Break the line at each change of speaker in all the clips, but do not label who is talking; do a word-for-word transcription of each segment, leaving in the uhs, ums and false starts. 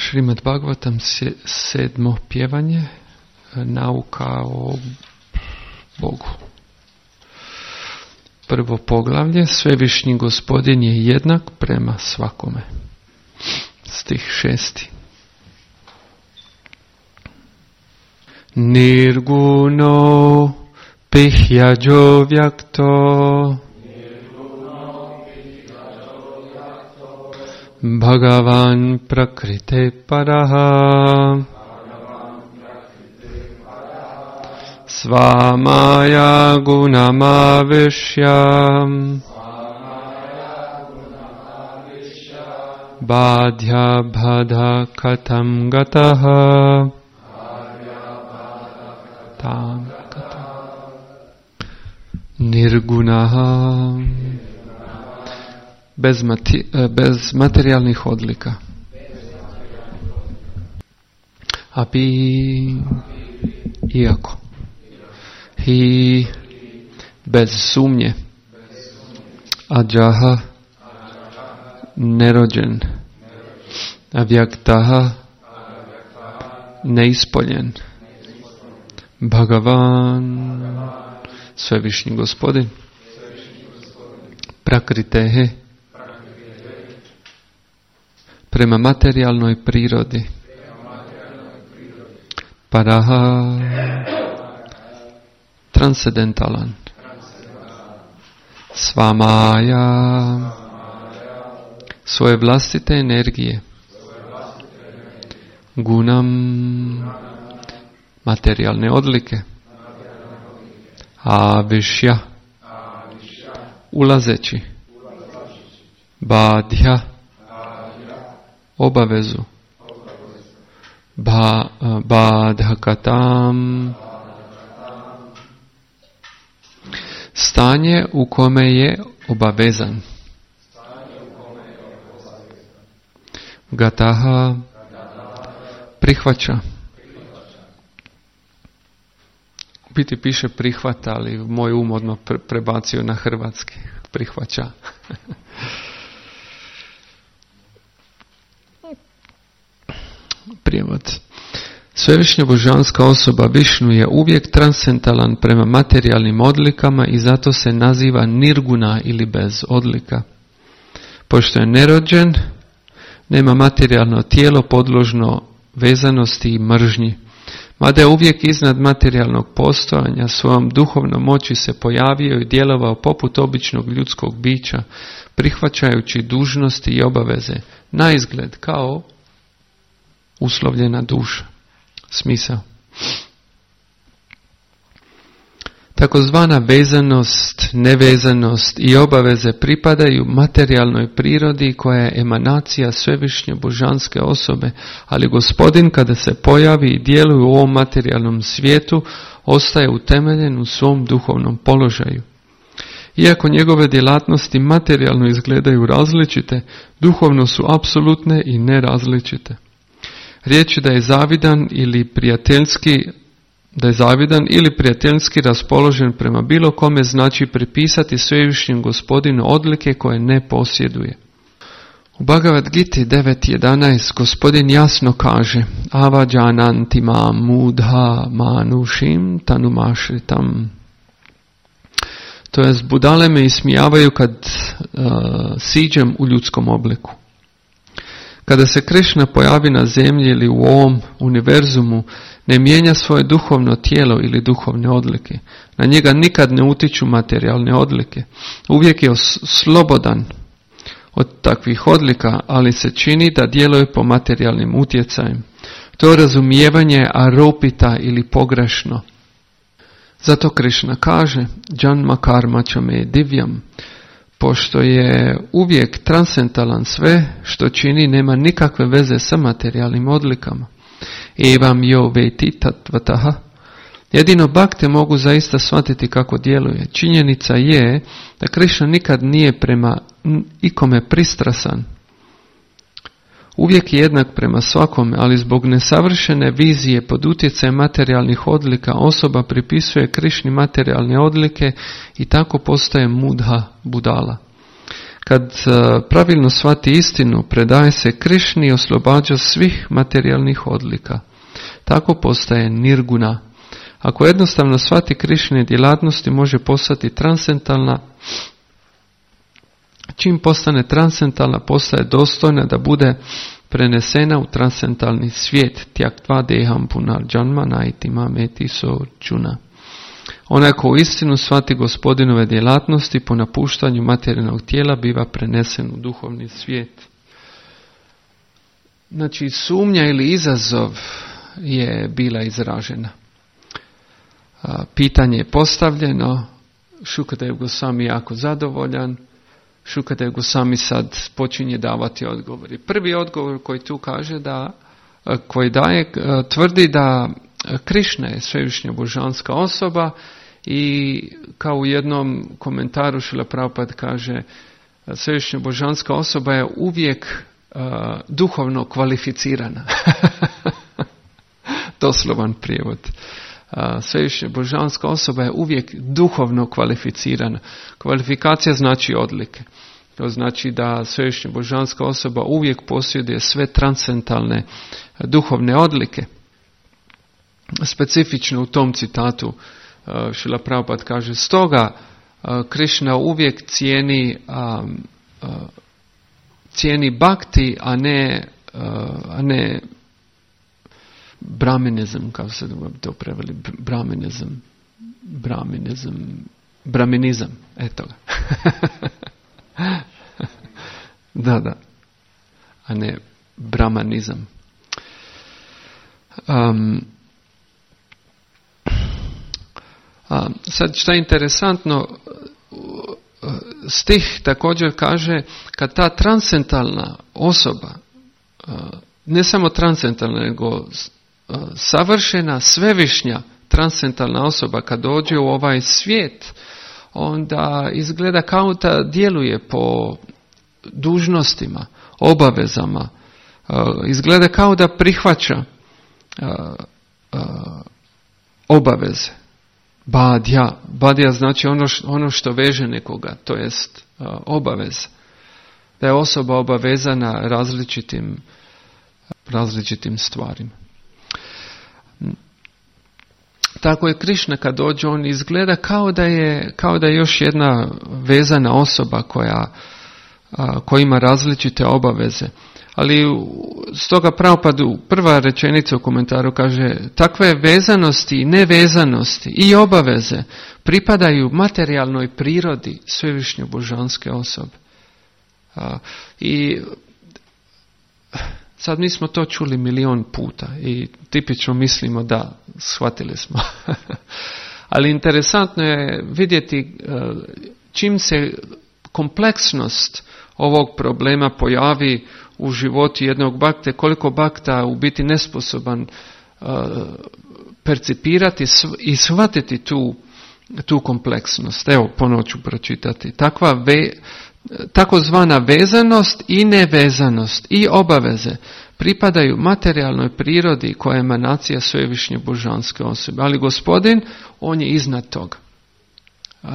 Šrimad Bhagavatam, sedmo pjevanje, nauka o Bogu. Prvo poglavlje, Svevišnji Gospodin je jednak prema svakome. Stih šesti. Nirguno pihyajo vyakto Bhagavan prakrite paraha Svamaya gunamavishyam Badhya bhadha katam gataha Tam katam Nirgunaha Bez, mati, bez materijalnih odlika. Api iako. Hi bez sumnje. Ađaha nerođen. Avyaktaha neispoljen. Bhagavan Svevišnji Gospodin. Prakritehe prema materijalnoj prirodi. Paraha transcendentalan. Svamaja svoje vlastite energije. Gunam materijalne odlike. Avišya ulazeći. Badhya obavezu. Ba, badhakatam stanje u kome je obavezan. Gataha prihvaća. U biti piše prihvata, ali moj um odmah prebacio na hrvatski. Prihvaća. Prijevod. Svevišnja božanska osoba Višnu je uvijek transcendentalan prema materijalnim odlikama i zato se naziva nirguna ili bez odlika. Pošto je nerođen, nema materijalno tijelo podložno vezanosti i mržnji. Mada je uvijek iznad materijalnog postojanja, svojom duhovnom moći se pojavio i djelovao poput običnog ljudskog bića, prihvaćajući dužnosti i obaveze, na izgled kao uslovljena duša. Smisao. Takozvana vezanost, nevezanost i obaveze pripadaju materijalnoj prirodi koja je emanacija svevišnje božanske osobe, ali Gospodin kada se pojavi i djeluje u ovom materijalnom svijetu, ostaje utemeljen u svom duhovnom položaju. Iako njegove djelatnosti materijalno izgledaju različite, duhovno su apsolutne i nerazličite. Riječ da je zavidan ili prijateljski da je zavidan ili prijateljski raspoložen prema bilo kome znači pripisati svevišnjem Gospodinu odlike koje ne posjeduje. U Bhagavad Giti devet jedanaest Gospodin jasno kaže: Avajananti mam mudha manushim tanumašritam. To jest, budale me ismijavaju kad uh, siđem u ljudskom obliku. Kada se Krišna pojavi na zemlji ili u ovom univerzumu, ne mijenja svoje duhovno tijelo ili duhovne odlike. Na njega nikad ne utiču materijalne odlike. Uvijek je slobodan od takvih odlika, ali se čini da djeluje po materijalnim utjecajem. To razumijevanje je aropita ili pogrešno. Zato Krišna kaže: Janma karma chame divyam. Pošto je uvijek transcendentalan, sve što čini nema nikakve veze sa materijalnim odlikama. Evam yo veti tatvataha. Jedino bakte mogu zaista shvatiti kako djeluje. Činjenica je da Krišna nikad nije prema ikome pristrasan. Uvijek je jednak prema svakome, ali zbog nesavršene vizije pod utjecajem materijalnih odlika osoba pripisuje Krišni materijalne odlike i tako postaje mudha, budala. Kad pravilno shvati istinu, predaje se Krišni i oslobađa svih materijalnih odlika. Tako postaje nirguna. Ako jednostavno shvati Krišne djelatnosti, može postati transcendentalna. Čim postane transcendentalna, postaje dostojna da bude prenesena u transcendentalni svijet. Tyaktva deham punarjanma naitima meti so čuna. Onaj ko u istinu shvati Gospodinove djelatnosti, po napuštanju materijalnog tijela biva prenesen u duhovni svijet. Znači, sumnja ili izazov je bila izražena. Pitanje je postavljeno, Šukadev Gosvami jako zadovoljan, Šukadev Gosvami sad počinje davati odgovori. Prvi odgovor koji tu kaže da, koji daje, tvrdi da Krišna je svevišnja božanska osoba i kao u jednom komentaru Šrila Prabhupada kaže, svevišnja božanska osoba je uvijek uh, duhovno kvalificirana. Doslovan prijevod. Uh, svevišnja božanska osoba je uvijek duhovno kvalificirana. Kvalifikacija znači odlike. To znači da svevišnja božanska osoba uvijek posjeduje sve transcendentalne duhovne odlike. Specifično u tom citatu uh, Šrila Prabhupada kaže, stoga uh, Krišna uvijek cijeni um, uh, cijeni bhakti, a ne uh, a ne brahminizam, kako se to preveli, brahminizam, brahminizam, brahminizam, eto ga. da, da, a ne brahmanizam. Um, A, sad što je interesantno, stih također kaže, kad ta transcendentalna osoba, ne samo transcendentalna, nego savršena, svevišnja transcendentalna osoba, kad dođe u ovaj svijet, onda izgleda kao da djeluje po dužnostima, obavezama, izgleda kao da prihvaća obaveze. Badja. Badja znači ono što, ono što veže nekoga, to jest uh, obavez. Da je osoba obavezana različitim, različitim stvarima. Tako je Krišna kad dođe, on izgleda kao da je, kao da je još jedna vezana osoba koja, uh, koja ima različite obaveze. Ali stoga Prabhupada prva rečenica u komentaru kaže, takve vezanosti i nevezanosti i obaveze pripadaju materijalnoj prirodi svevišnje božanske osobe. A, I sad mi smo to čuli milion puta i tipično mislimo da shvatili smo. Ali interesantno je vidjeti čim se kompleksnost ovog problema pojavi u životu jednog bakte, koliko bakta u biti nesposoban uh, percipirati i shvatiti tu, tu kompleksnost. Evo, ponovo ću pročitati. Takva ve, takozvana vezanost i nevezanost i obaveze pripadaju materijalnoj prirodi koja je emanacija svevišnje božanske osobe. Ali Gospodin, on je iznad toga. Uh,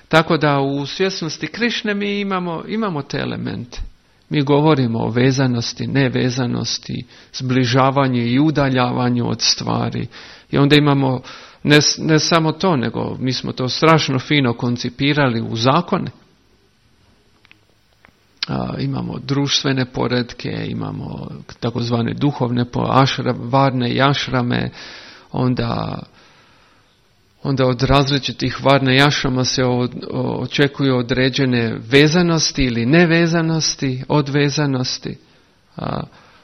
tako da u svjesnosti Krišne mi imamo, imamo te elemente. Mi govorimo o vezanosti, nevezanosti, zbližavanju i udaljavanju od stvari. I onda imamo ne, ne samo to, nego mi smo to strašno fino koncipirali u zakone. A, imamo društvene poretke, imamo takozvane duhovne ašra, varne i ašrame, onda... onda od različitih varne jašama se očekuju određene vezanosti ili nevezanosti, odvezanosti. A,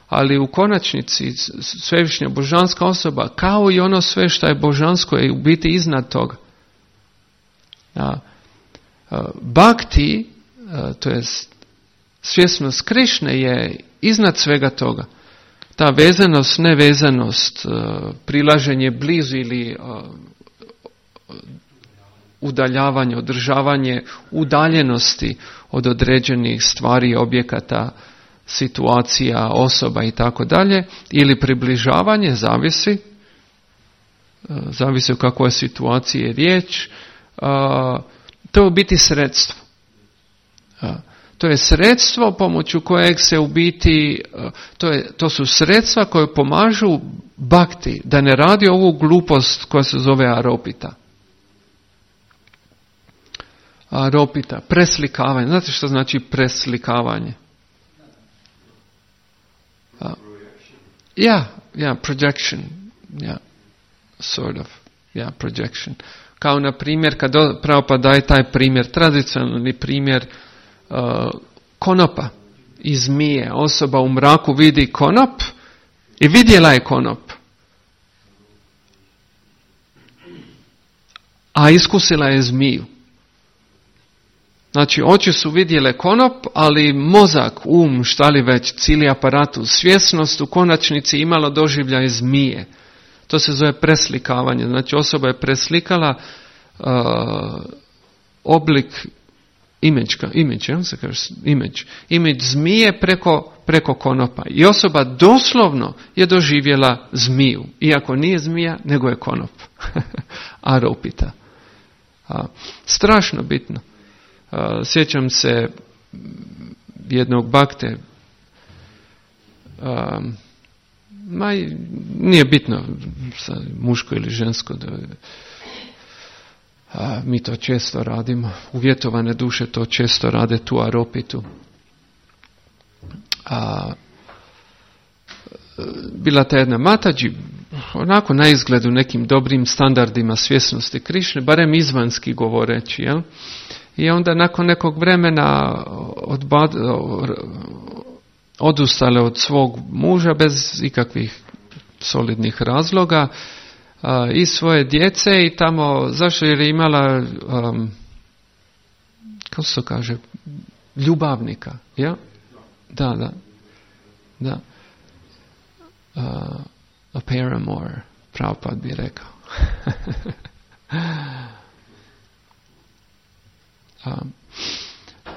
ali u konačnici svevišnja božanska osoba, kao i ono sve što je božansko, je u biti iznad toga. A, a, bhakti, a, to je svjesnost Krišne, je iznad svega toga. Ta vezanost, nevezanost, a, prilaženje blizu ili a, udaljavanje, održavanje udaljenosti od određenih stvari, objekata, situacija, osoba i tako dalje, ili približavanje, zavisi, zavisi o kakvoj situaciji je riječ, to je u biti sredstvo. To je sredstvo pomoću kojeg se u biti, to, je, to su sredstva koje pomažu bhakti da ne radi ovu glupost koja se zove aropita. Aropita, preslikavanje. Znate što znači preslikavanje? Ja, yeah, yeah, projection. Yeah, sort of. Yeah, projection. Kao na primjer, kad Prabhupada daje taj primjer, tradicionalni primjer uh, konopa i zmije. Osoba u mraku vidi konop i vidjela je konop. A iskusila je zmiju. Znači, oči su vidjele konop, ali mozak, um, šta li već, cijeli aparatus, svjesnost u konačnici imalo doživljaj zmije. To se zove preslikavanje. Znači, osoba je preslikala uh, oblik image, image, ja se kaže, image, image zmije preko, preko konopa. I osoba doslovno je doživjela zmiju. Iako nije zmija, nego je konop. Aropita. A, strašno bitno. A, sjećam se jednog bhakte, a, ma, nije bitno muško ili žensko, da, a, mi to često radimo, uvjetovane duše to često rade, tu aropitu. A, bila ta jedna Mataji, onako na izgledu nekim dobrim standardima svjesnosti Krišne, barem izvanski govoreći, jel? I onda nakon nekog vremena odbad, odustale od svog muža bez ikakvih solidnih razloga a, i svoje djece i tamo, zašto jer je imala, um, kako se kaže, ljubavnika, ja? Da, da, da. Uh, a paramour, Prabhupada bi rekao. um,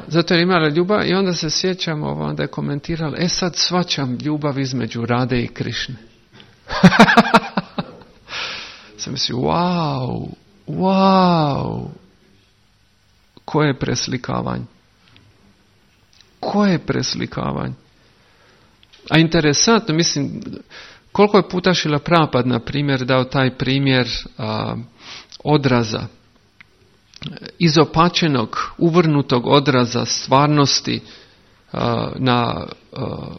zato je imala ljubav i onda se sjećamo, onda je komentirala, e sad svačam ljubav između Rade i Krišne. Sam mislio, wow, wow, koje preslikavanje? Koje preslikavanje? A interesantno, mislim, koliko je puta Šrila Prabhupada, na primjer, dao taj primjer a, odraza, izopačenog, uvrnutog odraza stvarnosti a, na, a,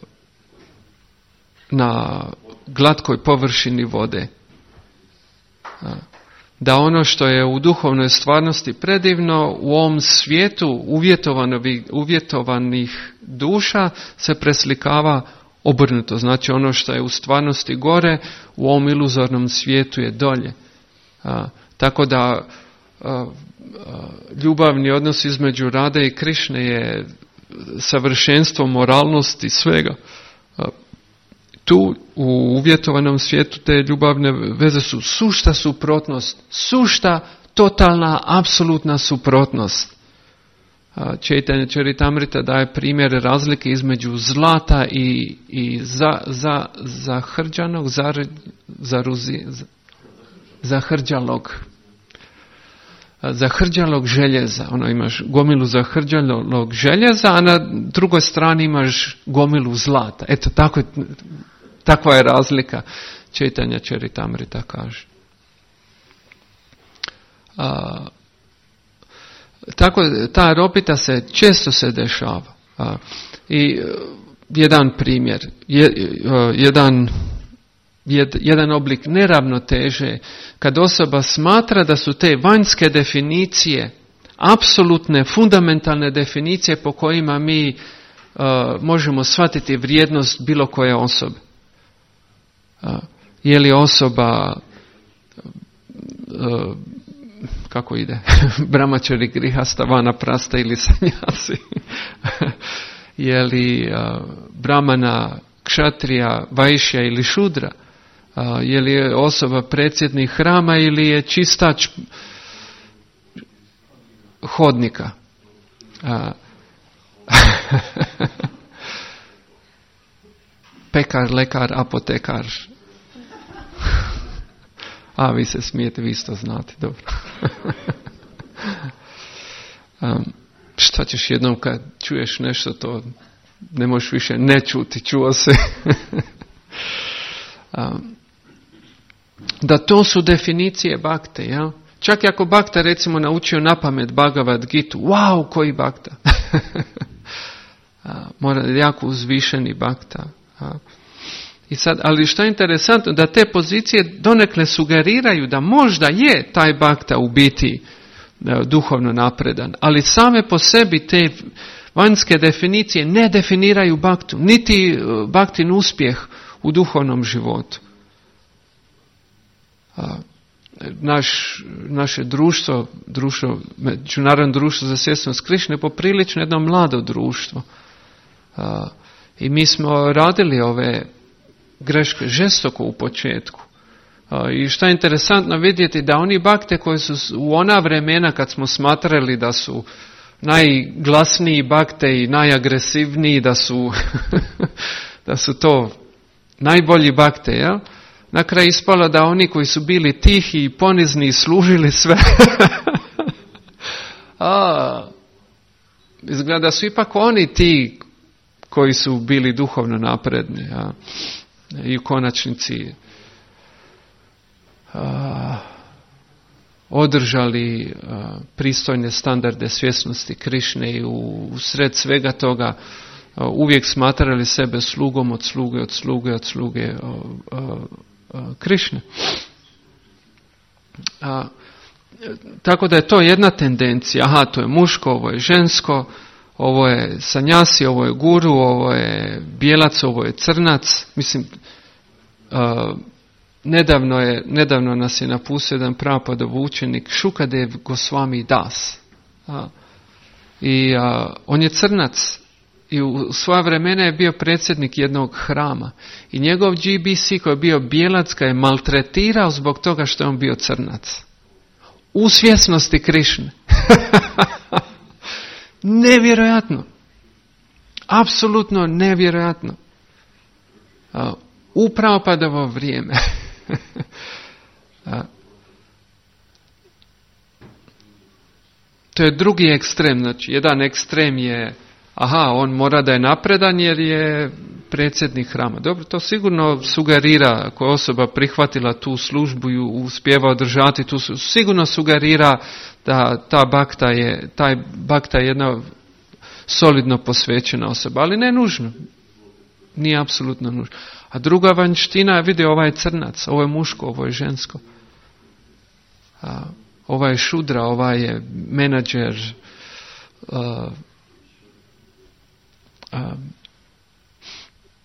na glatkoj površini vode. A, da ono što je u duhovnoj stvarnosti predivno, u ovom svijetu uvjetovanih duša se preslikava obrnuto. Znači ono što je u stvarnosti gore, u ovom iluzornom svijetu je dolje. A, tako da a, a, ljubavni odnos između Rade i Krišne je savršenstvo moralnosti svega. A, tu u uvjetovanom svijetu te ljubavne veze su sušta suprotnost, sušta, totalna, apsolutna suprotnost. Čaitanja Charitamrita daje primjer razlike između zlata i, i za, za, zahrđanog, zar, zaruzi, zahrđalog, zahrđalog željeza. Ono, imaš gomilu zahrđalog željeza, a na drugoj strani imaš gomilu zlata. Eto, tako, takva je razlika. Čaitanja Charitamrita kaže. A, Tako, ta aropita se često se dešava. A, I jedan primjer, je, jedan, jed, jedan oblik neravnoteže, kad osoba smatra da su te vanjske definicije, apsolutne, fundamentalne definicije po kojima mi a, možemo shvatiti vrijednost bilo koje osobe. A, je li osoba a, kako ide, brahmačari, grihasta, vanaprasta ili sanjasi, je li uh, brahmana, kšatrija, vajšja ili šudra, uh, je li osoba predsjednik hrama ili je čistač hodnika. Uh, pekar, lekar, apotekar. A, vi se smijete, vi isto znate, dobro. um, šta sad ćeš jednom kad čuješ nešto, to ne možeš više ne čuti, čuo se. Da to su definicije bakte, ja? Čak i ako bakta recimo naučio napamet Bhagavad Gitu, wow, koji bakta. Mora jako uzvišeni bakta. I sad, ali što je interesantno, da te pozicije donekle sugeriraju da možda je taj bakta u biti duhovno napredan, ali same po sebi te vanjske definicije ne definiraju baktu, niti baktin uspjeh u duhovnom životu. Naš, naše društvo, društvo, Međunarodno društvo za svjesnost Krišne je poprilično jedno mlado društvo. I mi smo radili ove greške žestoko u početku. I što je interesantno vidjeti, da oni bakte koji su u ona vremena kad smo smatrali da su najglasniji bakte i najagresivniji, da su, da su to najbolji bakte, jel? Na kraju ispalo da oni koji su bili tihi i ponizni i služili sve, a, izgleda da su ipak oni ti koji su bili duhovno napredni, a, i u konačnici a, održali a, pristojne standarde svjesnosti Krišne i u, u sred svega toga a, uvijek smatrali sebe slugom od sluge, od sluge, od sluge a, a, a, Krišne. A, tako da je to jedna tendencija. Aha, to je muško, ovo je žensko, ovo je sanjasi, ovo je guru, ovo je bijelac, ovo je crnac. Mislim, a, Nedavno, je, nedavno nas je napustio jedan Prabhupādov učenik Šukadev Gosvami Das. A, I a, on je crnac i u svoja vremena je bio predsjednik jednog hrama. I njegov G B C koji je bio bijelac ga je maltretirao zbog toga što je on bio crnac. U svjesnosti Krišne. Nevjerojatno. Apsolutno nevjerojatno. A, u Prabhupādovo vrijeme. To je drugi ekstrem. Znači, jedan ekstrem je, aha, on mora da je napredan jer je predsjednik hrama. Dobro, to sigurno sugerira, ako je osoba prihvatila tu službu i uspijeva održati tu, sigurno sugerira da ta bakta je, taj bakta je jedna solidno posvećena osoba, ali ne nužno. Nije apsolutno nužno. A druga vanjština, vidi, ovaj je crnac, ovo je muško, ovo je žensko. A, ova je šudra, ova je menadžer, a, a,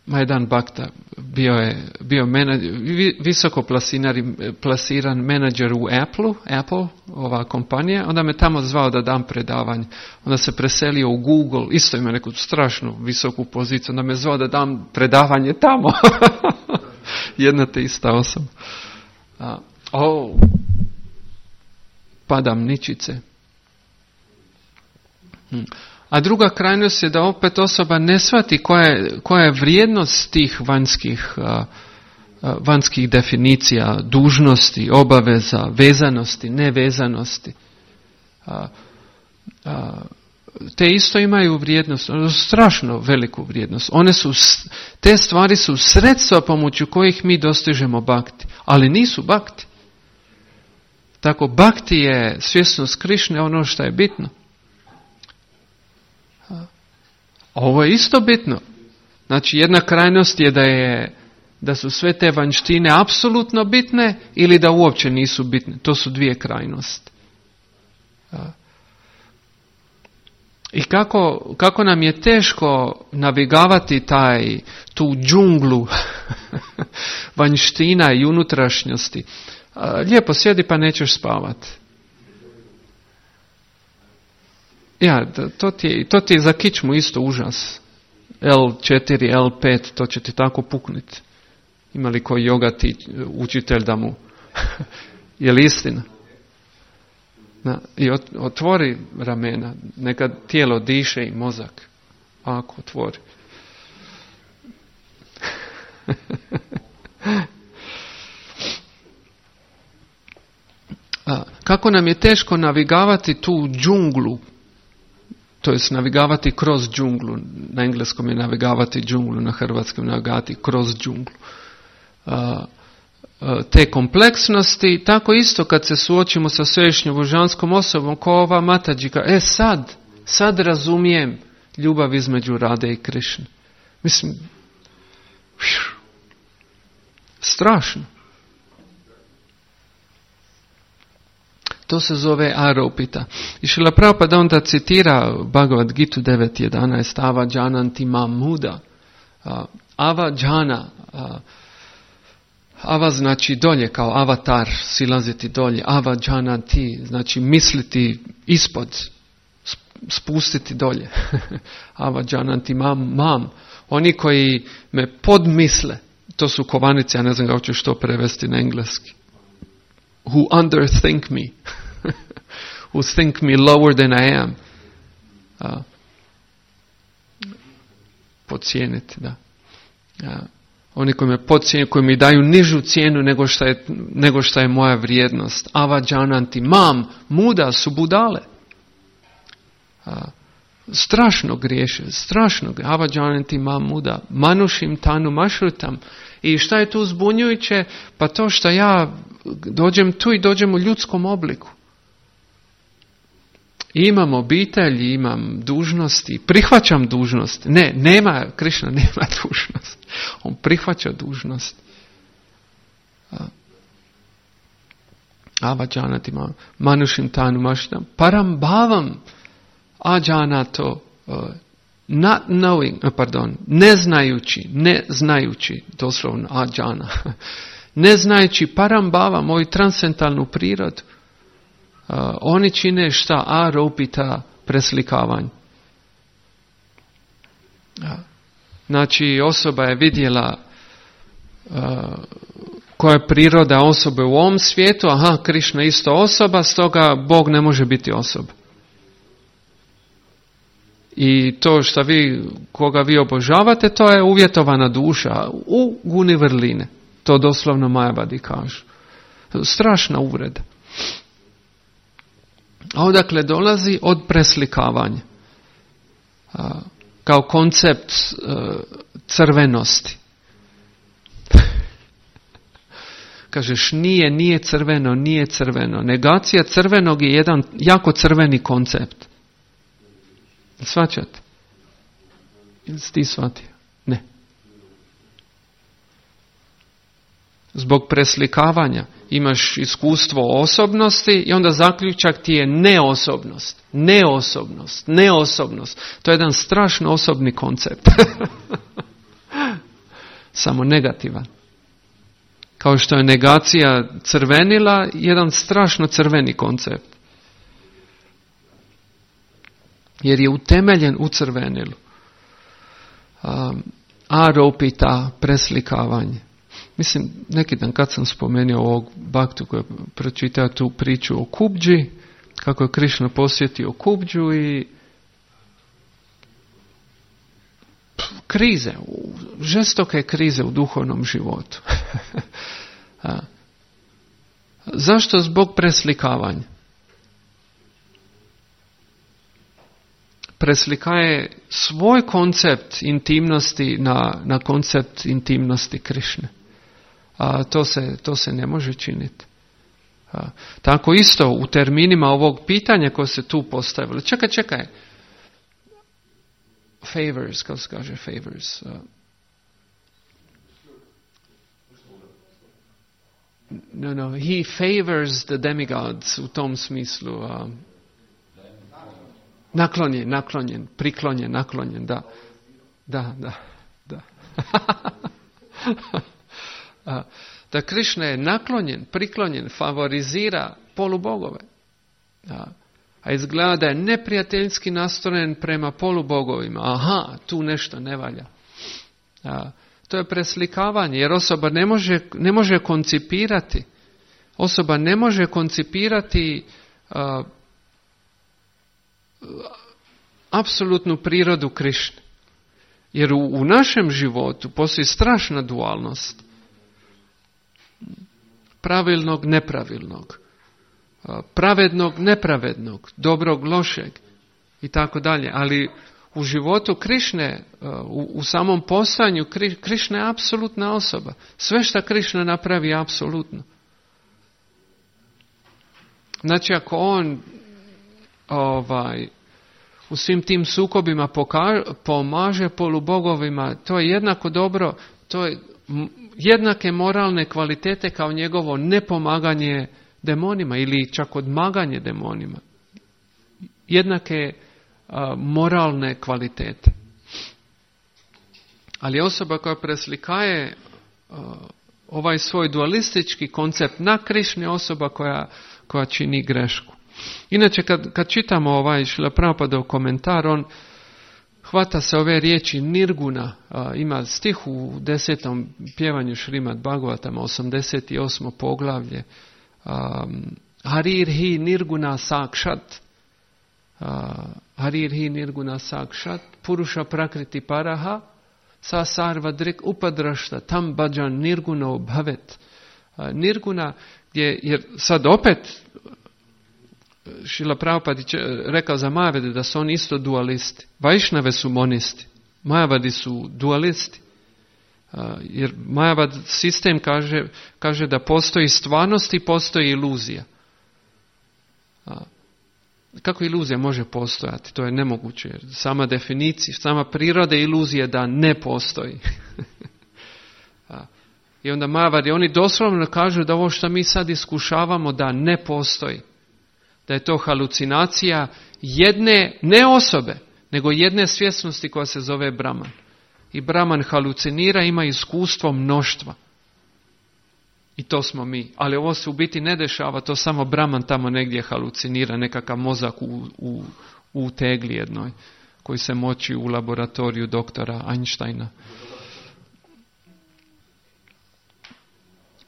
Majdan Bhakta bio je bio menadžer, visoko plasiran, plasiran menadžer u Apple, Apple, ova kompanija, onda me tamo zvao da dam predavanje. Onda se preselio u Google, isto ima neku strašnu visoku poziciju, onda me zvao da dam predavanje tamo. Jedna te ista osoba. A, oh, padam ničice. Hm. A druga krajnost je da opet osoba ne shvati koja je, koja je vrijednost tih vanjskih, uh, uh, vanjskih definicija, dužnosti, obaveza, vezanosti, nevezanosti. Uh, uh, te isto imaju vrijednost, strašno veliku vrijednost. One su, te stvari su sredstva pomoću kojih mi dostižemo bhakti, ali nisu bhakti. Tako, bhakti je svjesnost Krišne, ono što je bitno. Ovo je isto bitno. Znači, jedna krajnost je da je da su sve te vanjštine apsolutno bitne ili da uopće nisu bitne. To su dvije krajnosti. I kako, kako nam je teško navigavati taj, tu džunglu vanjština i unutrašnjosti. Lijepo sjedi pa nećeš spavati. Ja, to ti, je, to ti je za kičmu isto užas. L četiri, L pet, to će ti tako pukniti. Ima li koji jogati učitelj da mu... Je li istina? Na, i otvori ramena, neka tijelo diše i mozak. Ako otvori. A, kako nam je teško navigavati tu džunglu to jest navigavati kroz džunglu. Na engleskom je navigavati džunglu, na hrvatskom navigavati kroz džunglu. Uh, te kompleksnosti, tako isto kad se suočimo sa svevišnjom božanskom osobom, ko ova Matađika, e sad, sad razumijem ljubav između Rade i Krišne. Mislim, pšu, strašno. To se zove Aropita. I Šrila Prabhupada onda citira Bhagavad Gitu devet jedanaest, Ava Jananti Mam Muda. Ava Jana, Ava znači dolje, kao avatar, silaziti dolje. Ava Jananti, znači misliti ispod, spustiti dolje. Ava Jananti Mam Mam. Oni koji me podmisle, to su kovanice, ja ne znam kako ću što prevesti na engleski. Who underthink me. Who think me lower than I am. Uh, podcijeniti, da. Uh, oni koji me podcijene, koji mi daju nižu cijenu nego što je, nego što je moja vrijednost. Ava Jananti Mam, muda su budale. Uh, strašno griješe, strašno. Ava Jananti Mam muda, manušim tanu mašrutam. I šta je tu zbunjujuće? Pa to što ja dođem tu i dođem u ljudskom obliku. Imam obitelj, imam dužnosti, prihvaćam dužnost. Ne, nema, Krišna nema dužnost. On prihvaća dužnost. Ava Janati manušim tanu maštam. Param bhavam ađanato, not knowing, pardon, ne znajući, ne znajući, doslovno ađana, ne znajući param bhava, moju transcendentalnu prirodu. Uh, oni čine šta? Aropita, preslikavanje. Uh, znači osoba je vidjela uh, koja je priroda osobe u ovom svijetu, aha, Krišna isto osoba, stoga Bog ne može biti osoba. I to što vi, koga vi obožavate, to je uvjetovana duša u guni vrline. To doslovno Majavadi kažu. Strašna uvreda. A odakle dolazi? Od preslikavanja. A, kao koncept a, crvenosti. Kažeš nije, nije crveno, nije crveno. Negacija crvenog je jedan jako crveni koncept. Svaćate? Ili si ti shvatio? Ne. Zbog preslikavanja imaš iskustvo osobnosti i onda zaključak ti je neosobnost. Neosobnost. Neosobnost. To je jedan strašno osobni koncept. Samo negativan. Kao što je negacija crvenila, jedan strašno crveni koncept. Jer je utemeljen u crvenilu. Um, aropita, preslikavanje. Mislim, neki dan kad sam spomenuo ovog Bhaktu koji je pročitao tu priču o Kubđi, kako je Krišna posjetio Kubđu i krize, žestoke krize u duhovnom životu. Zašto? Zbog preslikavanja. Preslikaje svoj koncept intimnosti na, na koncept intimnosti Krišne. A to se, to se ne može činiti. A, tako isto u terminima ovog pitanja koje se tu postavilo. Čekaj, čekaj. Favors, kako se kaže favors. Uh, no, no, he favors the demigods u tom smislu. Uh, naklonjen, naklonjen, priklonjen, naklonjen, da. Da, da, da. uh, da Krišna je naklonjen, priklonjen, favorizira polubogove. Uh, A izgleda da je neprijateljski nastrojen prema polubogovima. Aha, tu nešto ne valja. A, to je preslikavanje, jer osoba ne može, ne može koncipirati. Osoba ne može koncipirati a, apsolutnu prirodu Krišne. Jer u, u našem životu postoji strašna dualnost. Pravilnog, nepravilnog. Pravednog, nepravednog, dobrog, lošeg. i tako dalje. Ali u životu Krišne, u, u samom postojanju Krišna je apsolutna osoba. Sve što Krišna napravi je apsolutno. Znači ako on ovaj, u svim tim sukobima poka, pomaže polubogovima, to je jednako dobro, to je jednake moralne kvalitete kao njegovo nepomaganje demonima ili čak odmaganje demonima. Jednake a, moralne kvalitete. Ali osoba koja preslikaje a, ovaj svoj dualistički koncept na Krišni, osoba koja, koja čini grešku. Inače, kad, kad čitamo ovaj Šrila Prabhupadov komentar, on hvata se ove riječi nirguna. A, ima stih u desetom pjevanju Šrimad Bhagavatama, osamdeset osmo poglavlje. Um, Harir hi nirguna sakshat. Uh, Harir hi nirguna sakshat. Purusha prakriti paraha. Sa sarva drik upadrašta. Tam bhajan nirguno bhavet. Uh, nirguna, gdje, jer sad opet Šrila Prabhupada rekao za Majavade da su oni isto dualisti. Vajšnave su monisti. Majavadi su dualisti. Uh, jer Majavad sistem kaže, kaže da postoji stvarnost i postoji iluzija. Uh, kako iluzija može postojati? To je nemoguće. Jer sama definicija, sama priroda iluzije da ne postoji. uh, I onda Majavadi, oni doslovno kažu da ovo što mi sad iskušavamo da ne postoji. Da je to halucinacija jedne, ne osobe, nego jedne svjesnosti koja se zove Brahman. I Brahman halucinira, ima iskustvo mnoštva. I to smo mi. Ali ovo se u biti ne dešava, to samo Brahman tamo negdje halucinira, nekakav mozak u, u, u tegli jednoj, koji se moči u laboratoriju doktora Einsteina.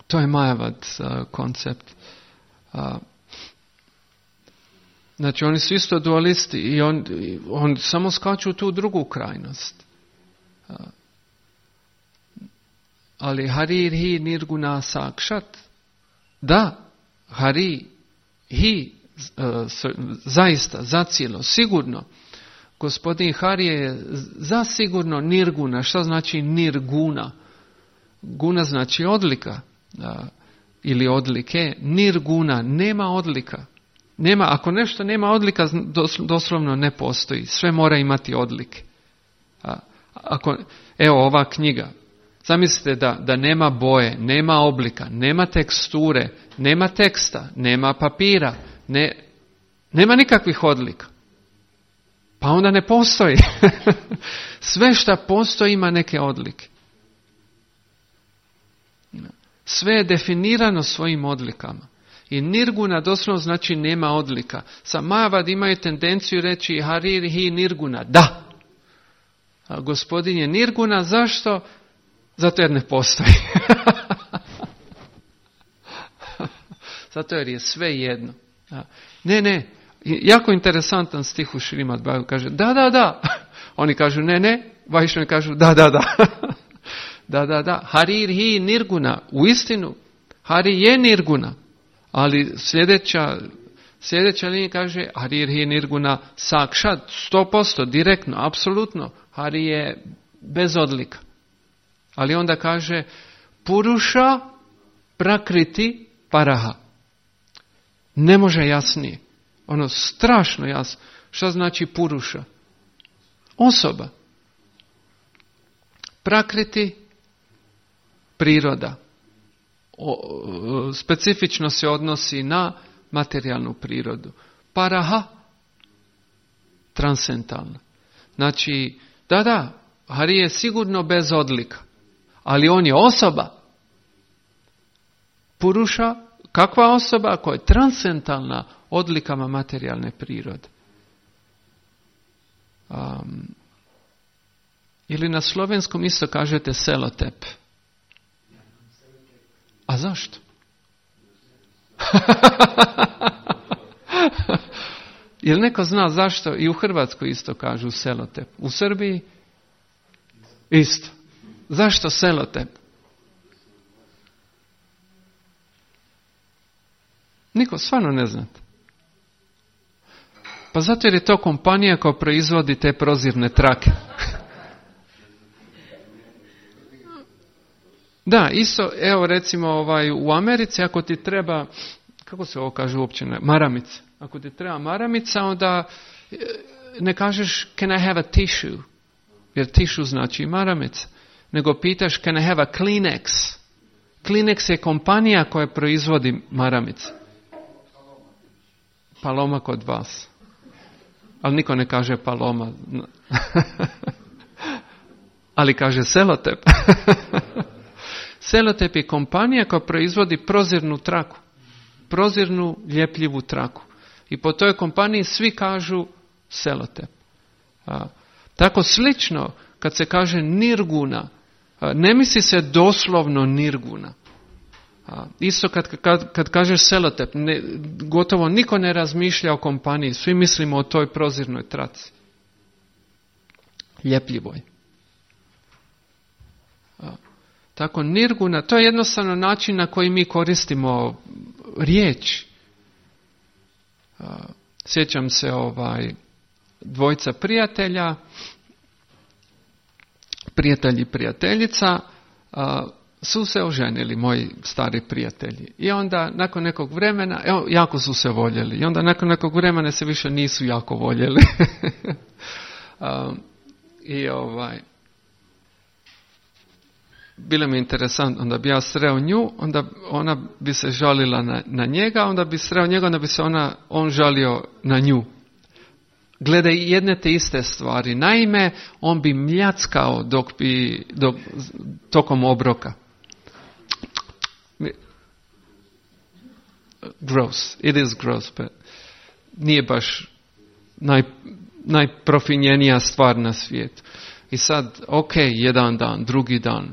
To je Majavad uh, koncept. Uh, znači oni su isto dualisti i on, on samo skaču u tu drugu krajnost. Ali Harir hi nirguna sakshat. Da, Hari hi zaista, zacijelo, sigurno. Gospodin Hari je zasigurno nirguna. Šta znači nirguna? Guna znači odlika ili odlike. Nirguna, nema odlika. Nema, ako nešto nema odlika, doslovno ne postoji. Sve mora imati odlike. A, ako, evo ova knjiga. Zamislite da, da nema boje, nema oblika, nema teksture, nema teksta, nema papira, ne, nema nikakvih odlika. Pa onda ne postoji. Sve što postoji ima neke odlike. Sve je definirano svojim odlikama. I nirguna doslovno znači nema odlika. Sa Majavad imaju tendenciju reći Harir hi nirguna. Da. A gospodin je nirguna. Zašto? Zato jer ne postoji. Zato jer je sve jedno. Ne, ne. Jako interesantan stih u Šrimad Bhagavatam kaže da, da, da. Oni kažu ne, ne. Vajšnjavi kažu da, da, da. Da, da, da. Harir hi nirguna. U istinu, Hari je nirguna. Ali sljedeća, sljedeća linija kaže Harir hi nirguna sakshat, sto posto, direktno, apsolutno. Hari je bez odlika. Ali onda kaže Purusha prakriti paraha. Ne može jasnije. Ono strašno jasno. Šta znači Purusha? Osoba. Prakriti, priroda. O, specifično se odnosi na materijalnu prirodu. Paraha, transcendentalna. Znači, da, da, Hari je sigurno bez odlika, ali on je osoba. Purusha, kakva osoba koja je transcendentalna odlikama materijalne prirode. Um, ili na slovenskom isto kažete selotep. A zašto? Jel neko zna zašto? I u Hrvatskoj isto kažu selotep. U Srbiji isto. Zašto selotep? Niko, stvarno ne znate. Pa zato jer je to kompanija koja proizvodi te prozirne trake. Da, isto, evo recimo ovaj, u Americi ako ti treba, kako se ovo kaže uopće, ne, maramica. Ako ti treba maramica, onda ne kažeš can I have a tissue, jer tissue znači maramica, nego pitaš can I have a Kleenex. Kleenex je kompanija koja proizvodi maramice. Paloma kod vas. Ali niko ne kaže Paloma. Ali kaže Selotep. Selotep je kompanija koja proizvodi prozirnu traku. Prozirnu, ljepljivu traku. I po toj kompaniji svi kažu Selotep. A, tako slično, kad se kaže Nirguna, a, ne misli se doslovno Nirguna. A, isto kad, kad, kad kažeš Selotep, ne, gotovo niko ne razmišlja o kompaniji. Svi mislimo o toj prozirnoj traci. Ljepljivoj. A, tako Nirguna, to je jednostavno način na koji mi koristimo riječ. A, sjećam se ovaj dvojca prijatelja, prijatelj i prijateljica, a, su se oženili, moji stari prijatelji. I onda nakon nekog vremena, evo, jako su se voljeli. I onda nakon nekog vremena se više nisu jako voljeli. a, I ovaj, bilo mi interesantno, onda bi ja sreo nju, onda ona bi se žalila na, na njega, onda bi sreo njega, onda bi se ona, on žalio na nju. Glede jedne te iste stvari. Naime, on bi mljackao dok bi, dok, tokom obroka. Gross. It is gross, but nije baš naj, najprofinjenija stvar na svijetu. I sad, ok, jedan dan, drugi dan,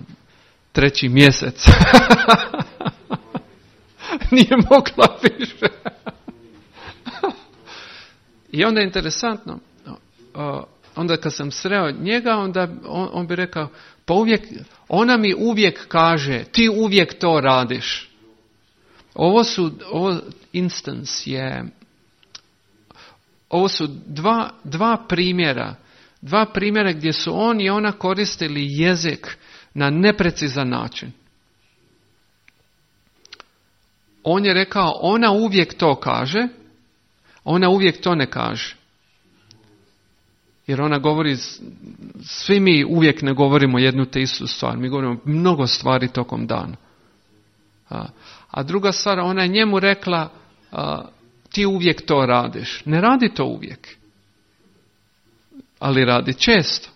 treći mjesec. Nije mogla više. I onda je interesantno, onda kad sam sreo njega, onda on, on bi rekao, pa uvijek, ona mi uvijek kaže, ti uvijek to radiš. Ovo su, ovo instance je, ovo su dva, dva primjera, dva primjera gdje su on i ona koristili jezik na neprecizan način. On je rekao, ona uvijek to kaže, ona uvijek to ne kaže. Jer ona govori, svi mi uvijek ne govorimo jednu te istu stvar. Mi govorimo mnogo stvari tokom dana. A, a druga stvar, ona je njemu rekla, a, ti uvijek to radiš. Ne radi to uvijek. Ali radi često.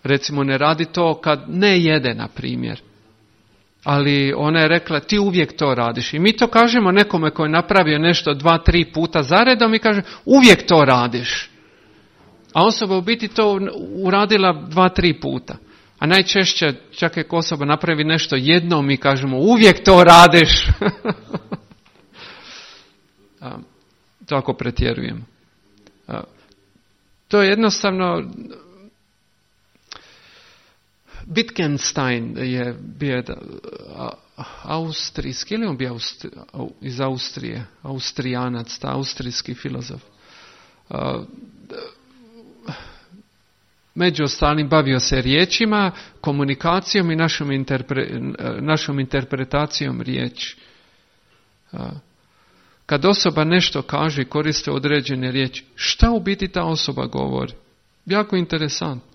Recimo ne radi to kad ne jede, na primjer. Ali ona je rekla, ti uvijek to radiš. I mi to kažemo nekome koji je napravio nešto dva, tri puta zaredom i kaže, uvijek to radiš. A osoba u biti to uradila dva, tri puta. A najčešće, čak ako osoba napravi nešto jednom, mi kažemo, uvijek to radiš. A, to ako pretjerujemo. A, to je jednostavno... Wittgenstein je bio austrijski, ili on bio Austri, iz Austrije, Austrijanac, ta austrijski filozof. Među ostalim bavio se riječima, komunikacijom i našom, interpre, našom interpretacijom riječi. Kad osoba nešto kaže i koriste određene riječi, šta u biti ta osoba govori? Jako interesantno.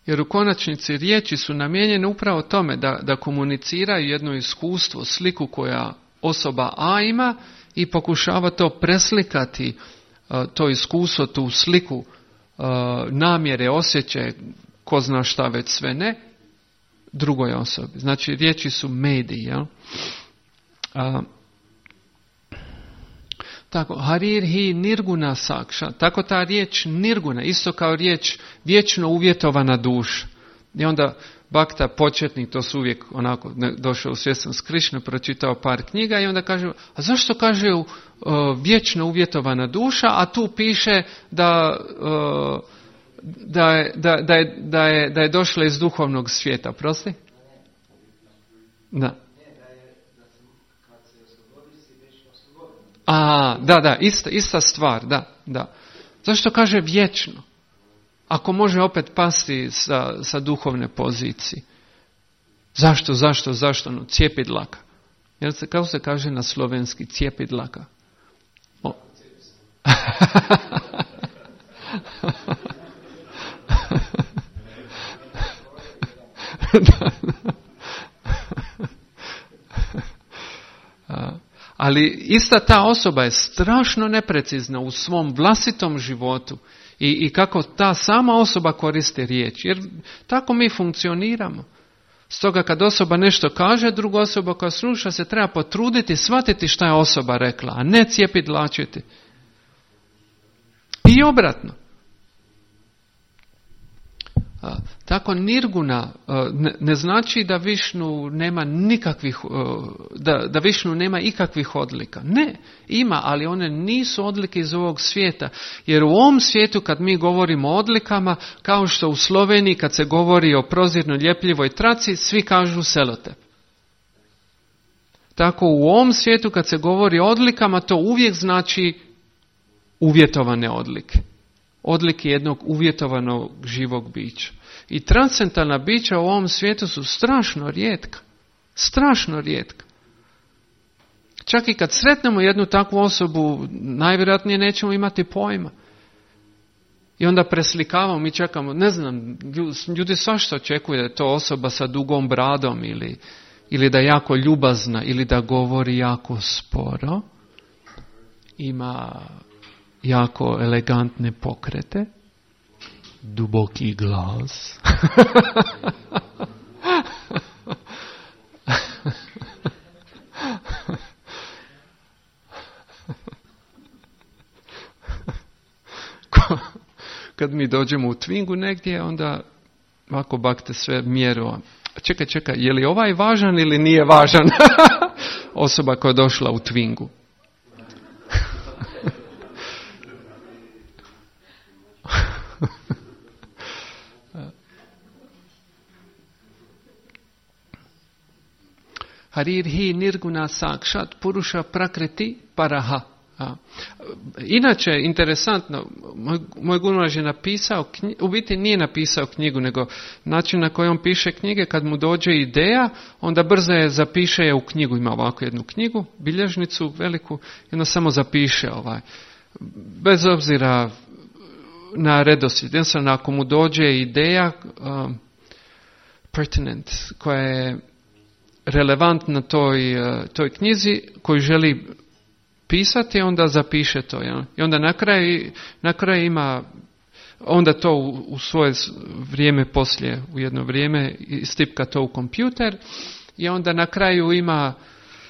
Jer u konačnici riječi su namijenjene upravo tome da, da komuniciraju jedno iskustvo, sliku koja osoba A ima i pokušava to preslikati, to iskustvo, tu sliku, namjere, osjećaje, ko zna šta već sve ne, drugoj osobi. Znači riječi su mediji, jel? A, tako, harir hi nirguna sakša, tako ta riječ nirguna, isto kao riječ vječno uvjetovana duša. I onda Bhakta početnik, to su uvijek onako, ne, došao u svjestan s Krišne, pročitao par knjiga i onda kaže, a zašto kaže uh, vječno uvjetovana duša, a tu piše da, uh, da, je, da, da, je, da, je, da je došla iz duhovnog svijeta, prosti? Da. A, da, da, ista, ista stvar, da, da. Zašto kaže vječno? Ako može opet pasti sa, sa duhovne pozicije. Zašto, zašto, zašto? No, cijepidlaka. Jer se, kako se kaže na slovenski, cijepidlaka? O. da, da. Ali ista ta osoba je strašno neprecizna u svom vlastitom životu i, i kako ta sama osoba koristi riječ. Jer tako mi funkcioniramo. Stoga kad osoba nešto kaže, druga osoba koja sluša se treba potruditi, shvatiti šta je osoba rekla, a ne cijepidlačiti. I obratno. A, tako nirguna a, ne, ne znači da Višnu nema nikakvih, a, da, da Višnu nema ikakvih odlika. Ne, ima, ali one nisu odlike iz ovog svijeta. Jer u ovom svijetu kad mi govorimo o odlikama, kao što u Sloveniji kad se govori o prozirno ljepljivoj traci, svi kažu selotep. Tako u ovom svijetu kad se govori o odlikama, to uvijek znači uvjetovane odlike. Odlike jednog uvjetovanog živog bića. I transcendentalna bića u ovom svijetu su strašno rijetka. Strašno rijetka. Čak i kad sretnemo jednu takvu osobu, najvjerojatnije nećemo imati pojma. I onda preslikavamo, mi čekamo, ne znam, ljudi svašta očekuju da je to osoba sa dugom bradom ili, ili da je jako ljubazna ili da govori jako sporo. Ima jako elegantne pokrete, duboki glas. Kad mi dođemo u Twingu negdje, onda ovako bakte sve mjeru. Čekaj, čekaj, je li ovaj važan ili nije važan? Osoba koja je došla u Twingu. Harir hi nirguna sakshat purusha prakriti paraha. A. Inače, interesantno, moj, moj Gurumaraš je napisao, knji, u biti nije napisao knjigu, nego način na koji on piše knjige, kad mu dođe ideja, onda brzo je zapiše je u knjigu, ima ovako jednu knjigu, bilježnicu veliku, i onda samo zapiše ovaj. Bez obzira na redoslijed, jednostavno ako mu dođe ideja um, pertinent, koja je relevantna toj, toj knjizi koju želi pisati, onda zapiše to. Ja? I onda na kraju, na kraju ima, onda to u, u svoje vrijeme poslije, u jedno vrijeme, stipka to u kompjuter i onda na kraju ima,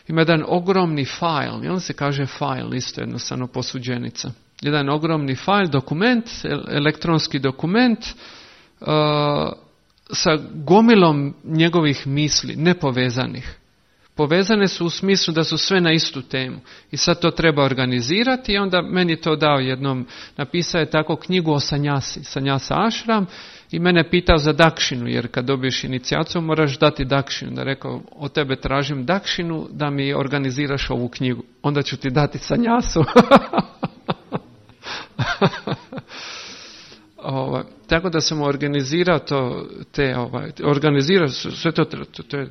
ima jedan ogromni file, i on se kaže file, isto jednostavno posuđenica. Jedan ogromni file, dokument, elektronski dokument, uh, sa gomilom njegovih misli, nepovezanih. Povezane su u smislu da su sve na istu temu. I sad to treba organizirati i onda meni to dao jednom, napisao je tako knjigu o sanjasi, sanjasa ashram, i mene pitao za dakšinu, jer kad dobiješ inicijaciju moraš dati dakšinu. Da rekao, od tebe tražim dakšinu da mi organiziraš ovu knjigu. Onda ću ti dati sanjasu. Ovaj, tako da sam organizirao to, te, ovaj, organizirao sve to, to, to je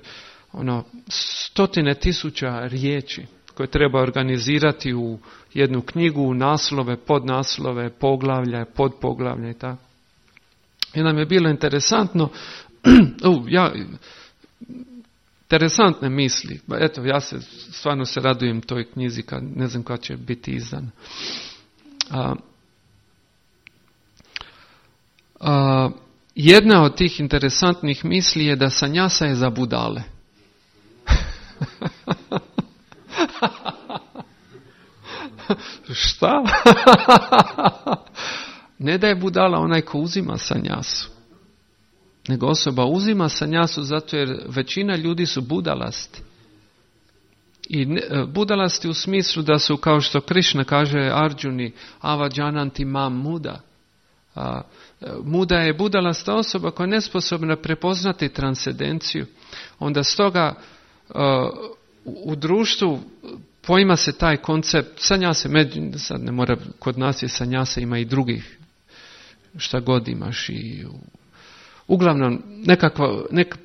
ono, stotine tisuća riječi koje treba organizirati u jednu knjigu, naslove, podnaslove, poglavlja, podpoglavlja i tako. I nam je bilo interesantno, uh, ja, interesantne misli. Eto, ja se stvarno se radujem toj knjizi, kad ne znam kada će biti izdana. A, a, jedna od tih interesantnih misli je da sanjasa je za budale. Šta? Ne da je budala onaj ko uzima sanjasu, nego osoba uzima sanjasu zato jer većina ljudi su budalasti. I budalasti u smislu da su, kao što Krišna kaže Arjuni, avajananti mam muda. A, muda je budalasta osoba koja je nesposobna prepoznati transcendenciju. Onda stoga uh, u društvu poima se taj koncept, sanjase, sad ne mora, kod nas je sanjase, ima i drugih, šta god imaš i uglavnom nekakva, nek,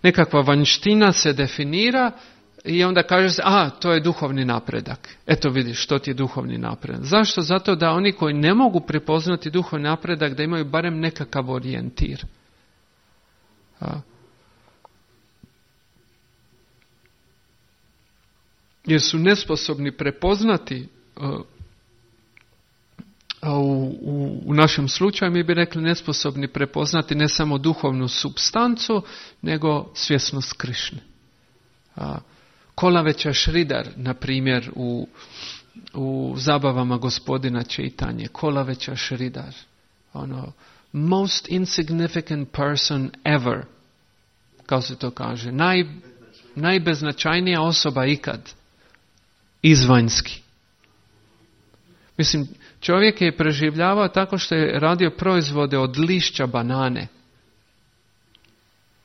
nekakva vanjština se definira i onda kaže se, a, to je duhovni napredak. Eto vidiš, što ti je duhovni napredak. Zašto? Zato da oni koji ne mogu prepoznati duhovni napredak, da imaju barem nekakav orijentir. A. Jer su nesposobni prepoznati, uh, u, u, u našem slučaju mi bi rekli nesposobni prepoznati ne samo duhovnu supstancu, nego svjesnost Krišne. Uh, Kolaveća Šridar, na primjer, u, u zabavama gospodina Čaitanje, Kolaveća Šridar, ono, most insignificant person ever, kao se to kaže, naj, najbeznačajnija osoba ikad, izvanjski. Mislim, čovjek je preživljavao tako što je radio proizvode od lišća banane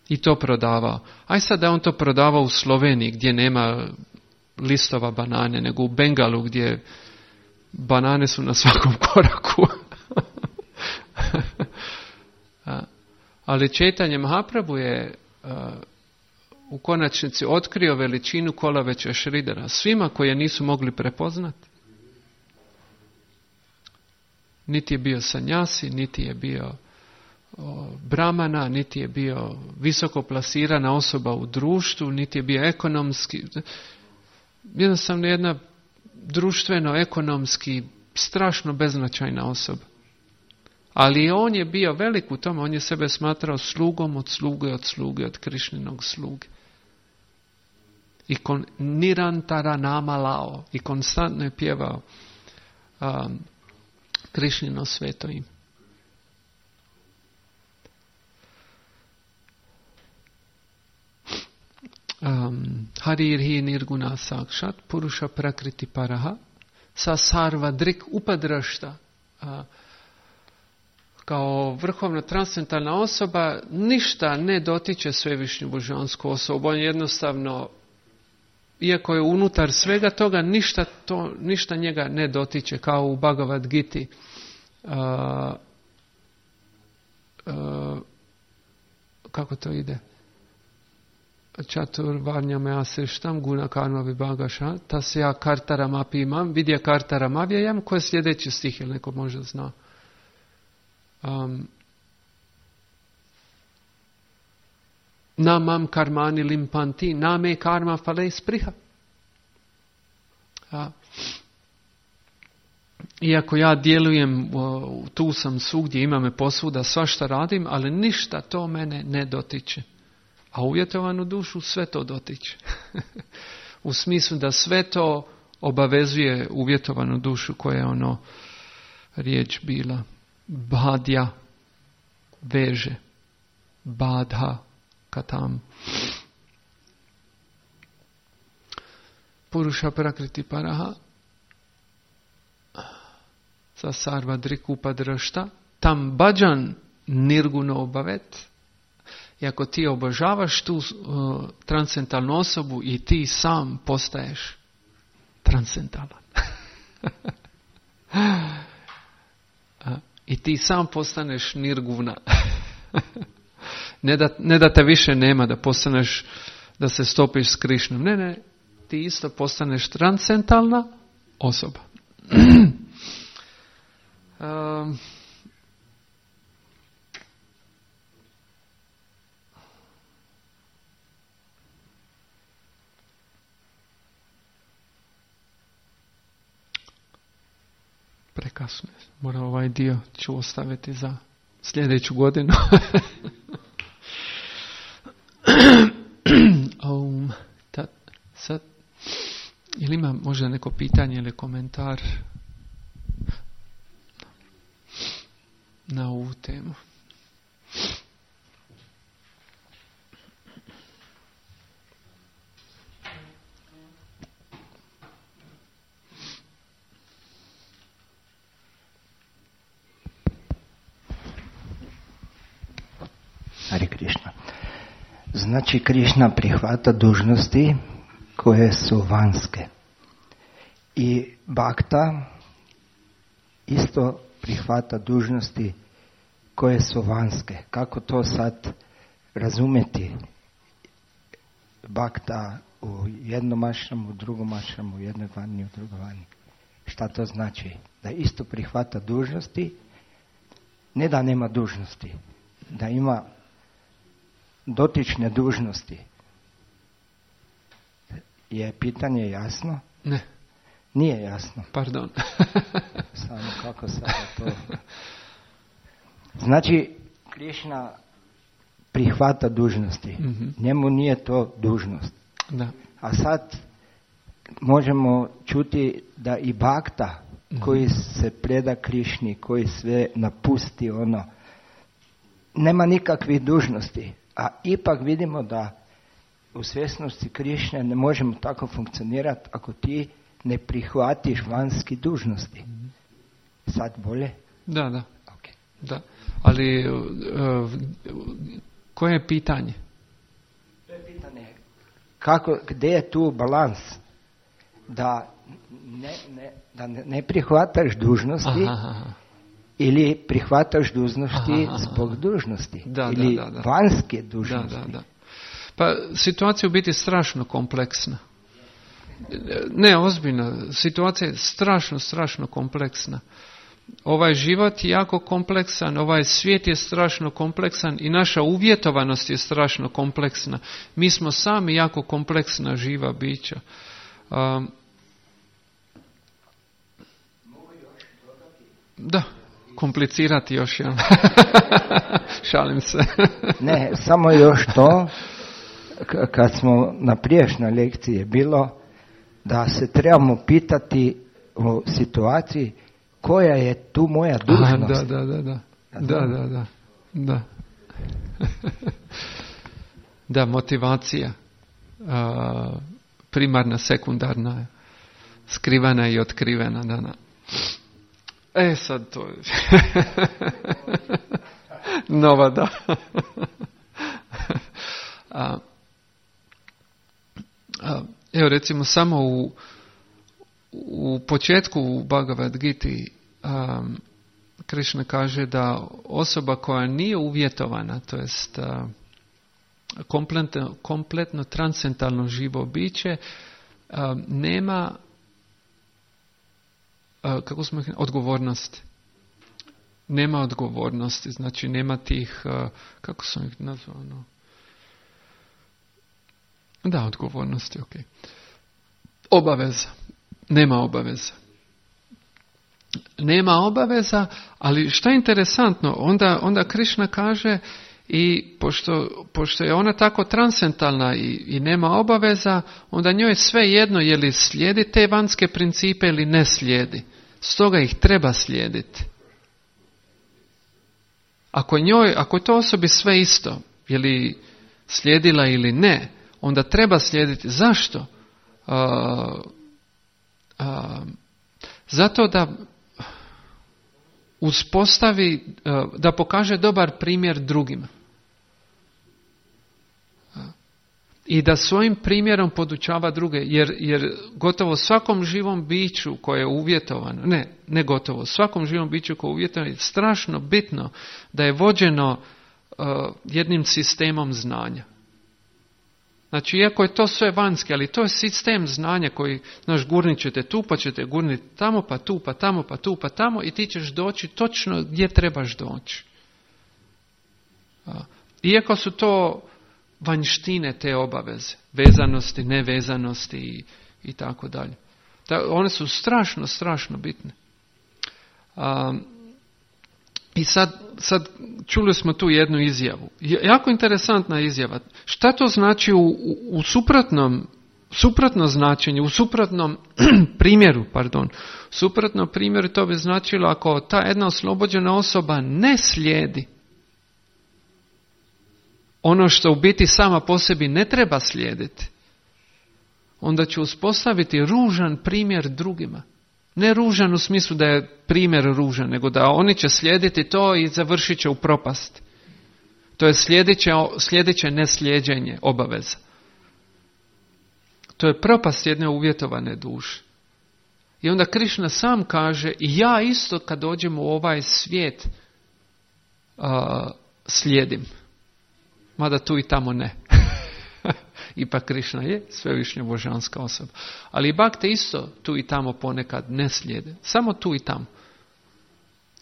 i to prodavao. Aj sad da on to prodavao u Sloveniji gdje nema listova banane, nego u Bengalu gdje banane su na svakom koraku. Ali Čaitanja Mahaprabhu je uh, u konačnici otkrio veličinu Kolaveća Šridara svima koje nisu mogli prepoznati. Niti je bio sanjasi, niti je bio o, brahmana, niti je bio visoko plasirana osoba u društvu, niti je bio ekonomski. Jednostavno jedna društveno-ekonomski strašno beznačajna osoba. Ali on je bio velik u tome, on je sebe smatrao slugom od sluge, od sluge, od Krišninog sluge. I kon, nirantara nama lao. I konstantno je pjevao um, Krišnino sveto ime. Um, Harirhi nirguna sakšat, puruša prakriti paraha, sa sarva drik upadrašta. Uh, kao vrhovna transcendentalna osoba ništa ne dotiče svevišnju božansku osobu. On jednostavno, iako je unutar svega toga, ništa, to, ništa njega ne dotiče, kao u Bhagavad Giti. Uh, uh, kako to ide? Čatur varnjame asrištam guna karma vibhagaša tasya kartaram api imam vidya kartaram avyayam. Ko je sljedeći stih, ili neko možda zna? Um, namam karmani limpanti name karma fale spriha. A, iako ja djelujem, tu sam svugdje, ima me posvuda, svašta radim, ali ništa to mene ne dotiče. A uvjetovanu dušu sve to dotiče. U smislu da sve to obavezuje uvjetovanu dušu koja je ono riječ bila. Badja veže. Badha katam. Puruša prakriti paraha. Sa sarva driku padrašta. Tam bhajan nirguno obavet. I ako ti obožavaš tu uh, transcendentalnu osobu i ti sam postaješ transcendentalan. I ti sam postaneš nirguna. ne, da, ne da te više nema, da postaneš, da se stopiš s Krišnom. Ne, ne, ti isto postaneš transcendentalna osoba. um, Prekasno. Moram ovaj dio ću ostaviti za sljedeću godinu. um, ta, sad, ili ima možda neko pitanje ili komentar na ovu temu?
Hare Krishna. Znači Krišna prihvata dužnosti koje su vanjske. I bhakta isto prihvata dužnosti koje su vanjske. Kako to sad razumjeti? Bhakta u jednom ašramu, u drugom ašramu, u jednoj vani, u drugoj vani. Šta to znači? Da isto prihvata dužnosti, ne da nema dužnosti, da ima dotične dužnosti. Je pitanje jasno?
Ne.
Nije jasno.
Pardon.
Samo kako sada to... Znači, Krišna prihvata dužnosti. Mm-hmm. Njemu nije to dužnost.
Da.
A sad možemo čuti da i bhakta mm-hmm. koji se preda Krišni, koji sve napusti ono, nema nikakvih dužnosti. A ipak vidimo da u svjesnosti Krišne ne možemo tako funkcionirati ako ti ne prihvatiš vanjski dužnosti. Mm-hmm. Sad bolje?
Da, da.
Okay.
Da. Ali uh, koje je pitanje?
To je pitanje kako, gdje je tu balans da ne, ne, da ne prihvataš dužnosti aha, aha. ili prihvataš dužnosti aha, aha. zbog dužnosti
da,
ili
da, da, da.
vanjske dužnosti.
Da, da, da. Pa situacija u biti strašno kompleksna. Ne, ozbiljno. Situacija je strašno, strašno kompleksna. Ovaj život je jako kompleksan, ovaj svijet je strašno kompleksan i naša uvjetovanost je strašno kompleksna. Mi smo sami jako kompleksna živa bića. Um, da, komplicirati još, ja. Šalim se.
Ne, samo još to, k- kad smo na prijašnjoj lekciji bilo da se trebamo pitati o situaciji koja je tu moja dužnost.
Aha, da, da, da, da. Da, da, da. Da, da motivacija. Uh, primarna, sekundarna, skrivena i otkrivena. Da, da. E, sad to je... Nova, da. a, a, evo, recimo, samo u U početku u Bhagavad Giti um, Krišna kaže da osoba koja nije uvjetovana, to jest uh, kompletno, kompletno transcendentalno živo biće, uh, nema uh, kako smo ih, odgovornosti. Nema odgovornosti, znači nema tih, uh, kako sam ih nazvao, no? Da, odgovornosti, ok. Obaveza. Nema obaveza. Nema obaveza, ali što je interesantno, onda, onda Krišna kaže i pošto, pošto je ona tako transcendentalna i, i nema obaveza, onda njoj je sve jedno je li slijedi te vanjske principe ili ne slijedi. Stoga ih treba slijediti. Ako njoj, ako je to osobi sve isto, je li slijedila ili ne, onda treba slijediti. Zašto? Uh, Uh, zato da uspostavi, uh, da pokaže dobar primjer drugima. Uh, I da svojim primjerom podučava druge, jer, jer gotovo svakom živom biću koje je uvjetovano, ne, ne gotovo, svakom živom biću koje je uvjetovano je strašno bitno da je vođeno uh, jednim sistemom znanja. Znači, iako je to sve vanjski, ali to je sistem znanja koji, znaš, gurnit ćete tu, pa ćete gurniti tamo, pa tu, pa tamo, pa tu, pa tamo i ti ćeš doći točno gdje trebaš doći. Iako su to vanjštine te obaveze, vezanosti, nevezanosti i, i tako dalje. One su strašno, strašno bitne. Um, I sad, sad čuli smo tu jednu izjavu. Jako interesantna izjava. Šta to znači u, u, u suprotnom, suprotno značenje, u suprotnom primjeru, pardon, suprotno primjeru to bi značilo ako ta jedna oslobođena osoba ne slijedi ono što u biti sama po sebi ne treba slijediti, onda će uspostaviti ružan primjer drugima. Ne ružan u smislu da je primjer ružan, nego da oni će slijediti to i završit će u propast. To je sljedeće, sljedeće neslijeđenje obaveza. To je propast jedne uvjetovane duše. I onda Krišna sam kaže, i ja isto kad dođem u ovaj svijet uh, slijedim. Mada tu i tamo ne. Ipak Krišna je svevišnja božanska osoba. Ali i bakte isto tu i tamo ponekad ne slijede. Samo tu i tamo.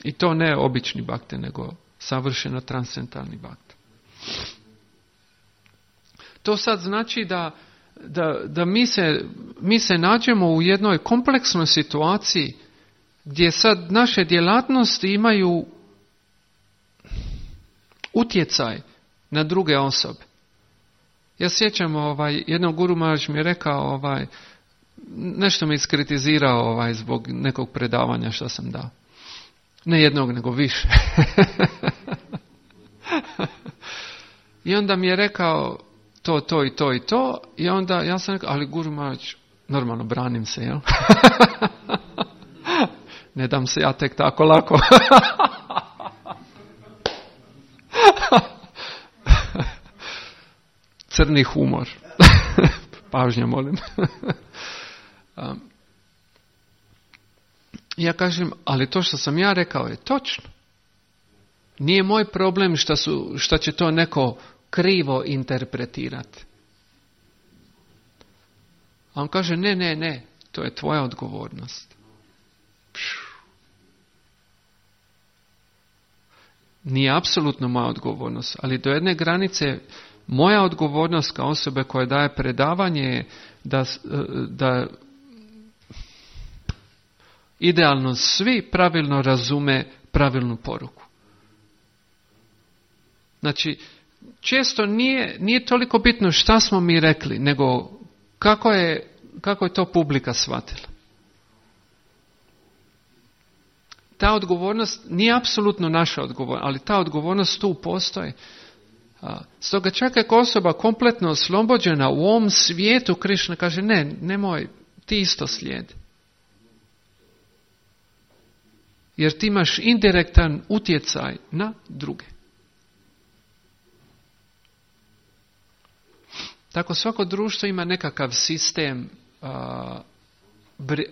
I to ne obični bakte, nego savršeno transcendentalni bakte. To sad znači da, da, da mi, se, mi se nađemo u jednoj kompleksnoj situaciji gdje sad naše djelatnosti imaju utjecaj na druge osobe. Ja sjećam, ovaj, jednom Guru Maharaj mi je rekao, ovaj, nešto mi iskritizirao ovaj, zbog nekog predavanja što sam dao. Ne jednog, nego više. I onda mi je rekao to, to i to i to. I onda ja sam rekao, ali Guru Maharaj, normalno branim se, jel? Ne dam se ja tek tako lako. Crni humor. Pažnja, molim. um, ja kažem, ali to što sam ja rekao je točno. Nije moj problem što, su, što će to neko krivo interpretirati. A on kaže, ne, ne, ne, to je tvoja odgovornost. Pšu. Nije apsolutno moja odgovornost, ali do jedne granice moja odgovornost kao osobe koja daje predavanje je da, da idealno svi pravilno razume pravilnu poruku. Znači, često nije, nije toliko bitno šta smo mi rekli, nego kako je, kako je to publika shvatila. Ta odgovornost nije apsolutno naša odgovornost, ali ta odgovornost tu postoji. Stoga čak ako osoba kompletno oslobođena u ovom svijetu, Krišna kaže, ne, nemoj, ti isto slijedi. Jer ti imaš indirektan utjecaj na druge. Tako svako društvo ima nekakav sistem a,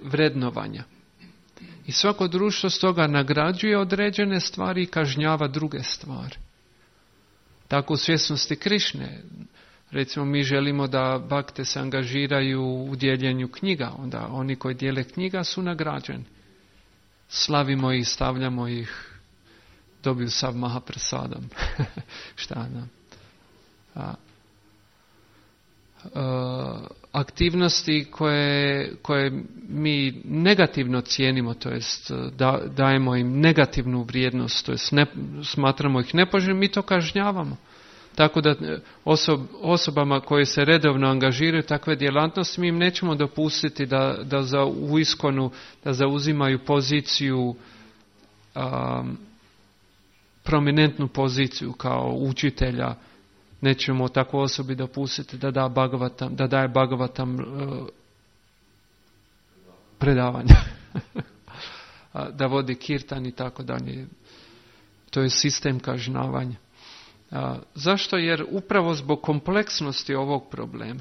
vrednovanja. I svako društvo stoga nagrađuje određene stvari i kažnjava druge stvari. Tako u svjesnosti Krišne. Recimo mi želimo da bakte se angažiraju u dijeljenju knjiga. Onda oni koji dijele knjiga su nagrađeni. Slavimo ih, stavljamo ih, dobiju sav Mahaprasadam. Šta znam. A, a, aktivnosti koje, koje mi negativno cijenimo, to jest da, dajemo im negativnu vrijednost, to jest ne, smatramo ih nepoželjnim, mi to kažnjavamo. Tako da osob, osobama koje se redovno angažiraju takve djelatnosti, mi im nećemo dopustiti da, da za, u iskonu da zauzimaju poziciju, um, prominentnu poziciju kao učitelja. Nećemo takvu osobi dopustiti da, da, Bhagavatam, da daje Bhagavatam uh, predavanja. Da vodi kirtan i tako dalje. To je sistem kažnjavanja. A, zašto? Jer upravo zbog kompleksnosti ovog problema.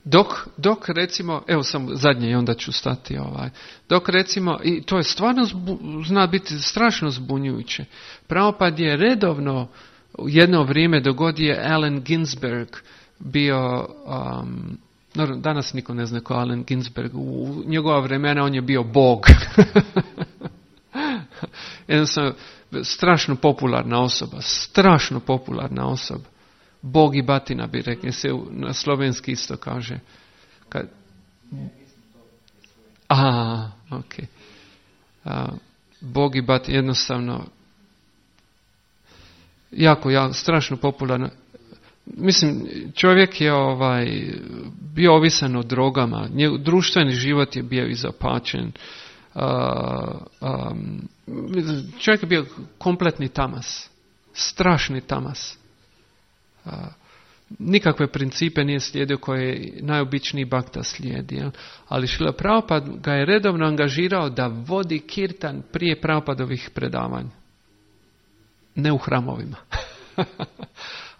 Dok, dok recimo, evo sam zadnje i onda ću stati ovaj, dok recimo, i to je stvarno zbu, zna biti strašno zbunjujuće. Prabhupada je redovno u jedno vrijeme dogod je Allen Ginsberg bio, um, danas niko ne zna ko Allen Ginsberg, u njegova vremena on je bio Bog. Jednostavno, strašno popularna osoba, strašno popularna osoba. Bog i batina bi rekli, se na slovenski isto kaže. Kad... A, ok. A, Bog i batina, jednostavno, jako, jako, strašno popularna. Mislim, čovjek je ovaj, bio ovisan o drogama, njegov društveni život je bio izopačen. Uh, um, čovjek je bio kompletni tamas, strašni tamas. Uh, nikakve principe nije slijedio koje najobičniji bakta slijedi. Jel? Ali Šrila Prabhupada ga je redovno angažirao da vodi kirtan prije Prabhupadovih predavanja. Ne u hramovima,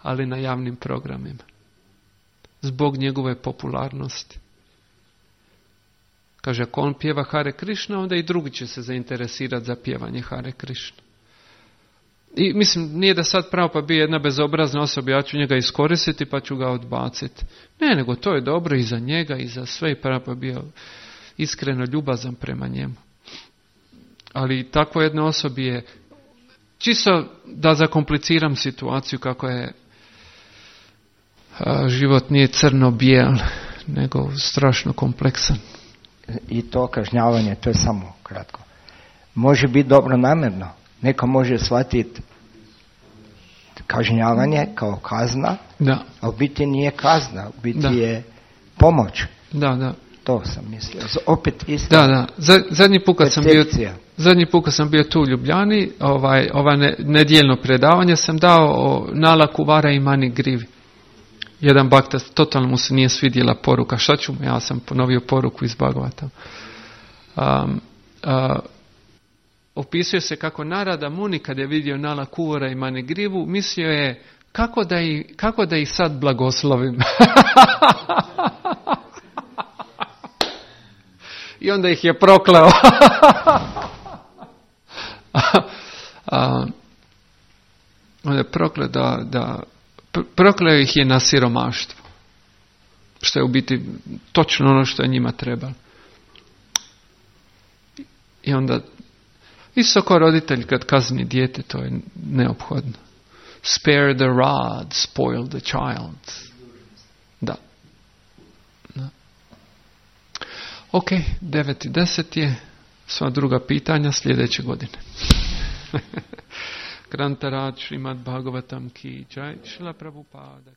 ali na javnim programima. Zbog njegove popularnosti. Kaže, ako on pjeva Hare Krishna, onda i drugi će se zainteresirati za pjevanje Hare Krishna. I mislim, nije da sad pravo pa bio jedna bezobrazna osoba, ja ću njega iskoristiti pa ću ga odbaciti. Ne, nego to je dobro i za njega i za sve, i pravo pa bio iskreno ljubazan prema njemu. Ali takvo jednoj osobi je, čisto da zakompliciram situaciju kako je, a, život nije crno-bijel, nego strašno kompleksan.
I to kažnjavanje, to je samo kratko. Može biti dobro namjerno. Neko može shvatiti kažnjavanje kao kazna,
da.
a u biti nije kazna, u biti
da.
je pomoć.
Da, da.
To sam mislio. Opet isto.
Da, da. Zadnji put kad sam bio, zadnji put kad sam bio tu u Ljubljani, ovaj, ovaj ne, nedjeljno predavanje sam dao o Nala Kuvara i Mani Grivi. Jedan bakta, totalno mu se nije svidjela poruka. Šta ću mu? Ja sam ponovio poruku iz Bhagavata. Um, uh, opisuje se kako Narada Muni, kad je vidio Nala Kuvara i Mani Grivu, mislio je kako da, i, kako da ih sad blagoslovim. I onda ih je prokleo. A, onda je prokleo da, da prokleo ih je na siromaštvo. Što je u biti točno ono što je njima trebalo. I onda isto kao roditelj kad kazni dijete, to je neophodno. Spare the rod, spoil the child. Da. da. Ok, devet i deset je. Sva druga pitanja sljedeće godine. Grantarad Šrimad Bhagavatam ki jai, Šrila Prabhupada.